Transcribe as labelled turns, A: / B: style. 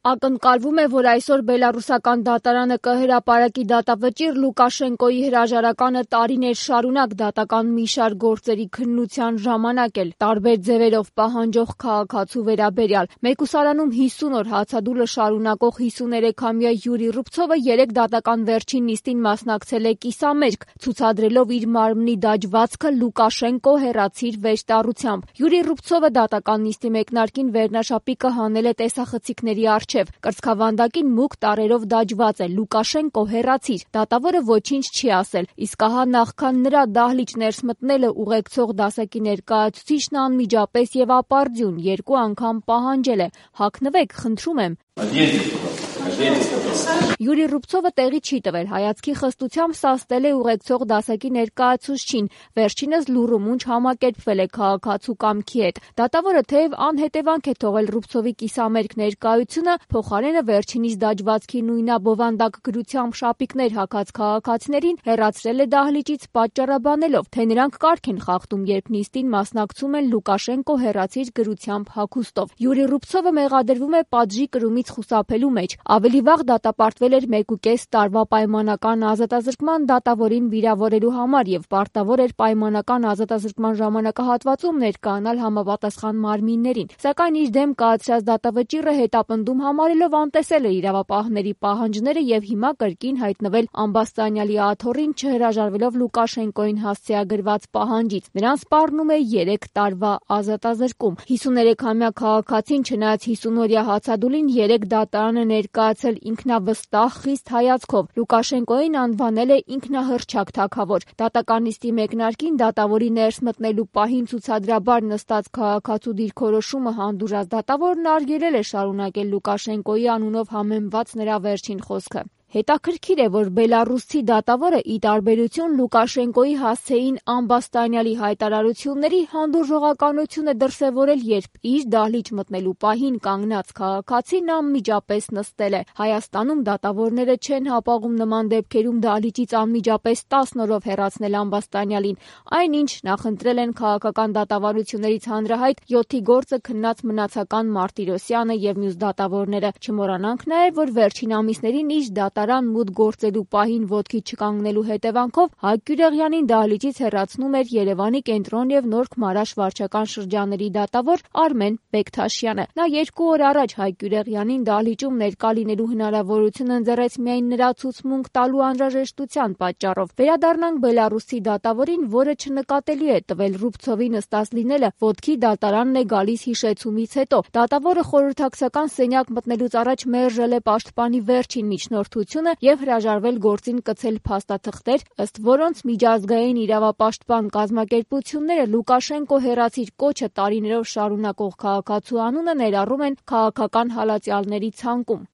A: Ակնկալվում է, որ այսօր բելառուսական դատարանը կհրապարակի դատավճիռ Լուկաշենկոյի հրաժարականը տարիներ շարունակ դատական մի շարք գործերի քննության ժամանակ էլ տարբեր ձևերով պահանջող քաղաքացու վերաբերյալ։ Մեկուսարանում 50 օր հացադուլը շարունակող 53-ամյա Յուրի Ռուբցովը երեկ դատական վերջին նիստին մասնակցել է կիսամերկ, ցուցադրելով իր մարմնի դաջվածքը «Լուկաշենկո, հեռացիր» վեճտառությամբ։ Յուրի Ռուբցովը դատական նիստի մեկնարկին վերնաշապիկը հանել է տեսախցիկների առջև։ Կրծքավանդակին մուգ տառերով դաջված է «Լուկաշենկո, հեռացիր»։ Դատավորը ոչինչ չի ասել, իսկ ահա նախքան նրա դահլիճ ներս մտնելը ուղեկցող դասակի ներկայացուցիչն անմիջապես եւ ապարդյուն 2 անգամ պահանջել է. «Հագնվեք, խնդրում եմ»։ Յուրի Ռուբցովը տեղի չի տվել, հայացքի խստությամբ սաստել է ուղեկցող դասակի ներկայացուցչին, վերջինս լուռումունջ համակերպվել է քաղաքացու կամքի հետ։ Դատավորը թեև անհետևանք է թողել Ռուբցովի կիսամերկ ներկայությունը, փոխարենը վերջինիս դաջվածքի նույնաբովանդակ գրությամբ շապիկներ հագած քաղաքացիներին հեռացրել է դահլիճից պատճառաբանելով, թե նրանք կարգ են խախտում, երբ նիստին մասնակցում են «Լուկաշենկո, հեռացիր» գրությամբ հագուստով։ Յուրի Ռուբցովը մեղադրվում է պատժի կրումից խուսափելու մեջ։ Ավելի վաղ դատապարտվել էր 1.5 տարվա պայմանական ազատազրկման դատավորին վիրավորելու համար եւ պարտավոր էր պայմանական ազատազրկման ժամանակահատվածում ներկայանալ համապատասխան մարմիններին։ Սակայն իր դեմ կայացրած դատավճիռը հետապնդում համարելով անտեսել է իրավապահների պահանջները եւ հիմա կրկին հայտնվել ամբաստանյալի աթոռին, չհրաժարվելով Լուկաշենկոյին հասցեագրված պահանջից։ Նրան սպառնում է 3 տարվա ազատազրկում։ 53-ամյա քաղաքացին, չնայած 50-օրյա հացադուլին, երեկ դատարանը ներկայացել ինքնավստահ, խիստ հայացքով։ Լուկաշենկոյին անվանել է ինքնահռչակ թագավոր։ Դատական նիստի մեկնարկին դատավորի ներս մտնելու պահին ցուցադրաբար նստած քաղաքացու դիրքորոշումը հանդուրժած դատավորն արգելել է շարունակել Լուկաշենկոյի անունով համեմված նրա վերջին խոսքը։ Հետաքրքիր է, որ բելառուսցի դատավորը, ի տարբերություն Լուկաշենկոյի հասցեին ամբաստանյալի հայտարարությունների, հանդուրժողականություն է դրսևորել, երբ իր դահլիճ մտնելու պահին կանգնած քաղաքացին անմիջապես նստել է։ Հայաստանում դատավորները չեն հապաղում նման դեպքերում դահլիճից անմիջապես 10 օրով հեռացնել ամբաստանյալին, այնինչ նախընտրել են քաղաքական դատավարություններից հանրահայտ 7-ի գործը քննած Մնացական Մարտիրոսյանը եւ մյուս դատավորները։ Չմոռանանք նաեւ, որ վերջին ամիսներին իր դատարան մուտք գործելու պահին ոտքի չկանգնելու հետևանքով Հայկ Գյուրեղյանին դահլիճից հեռացնում էր Երևանի Կենտրոն եւ Նորք Մարաշ վարչական շրջանների դատավոր Արմեն Բեկթաշյանը։ Նա 2 օր առաջ Հայկ Գյուրեղյանին դահլիճում ներկա լինելու հնարավորություն ընձեռեց միայն նրա ցուցմունք տալու անհրաժեշտության պատճառով։ Վերադառնանք բելառուսի դատավորին, որը չնկատելի է տվել Ռուբցովի նստած լինելը, ոտքի դատարանն է գալիս հիշեցումից հետո։ Դատավորը խորհրդակցական սենյակ մտնելուց առաջ մերժել է պաշտպանի վերջին միջնորդությունը եւ հրաժարվել գործին կցել փաստաթղթեր, ըստ որոնց միջազգային իրավապաշտպան կազմակերպությունները Լուկաշենկո, հեռացիր կոչը տարիներով շարունակող քաղաքացու անունը ներառում են քաղաքական հալածյալների ցանկում։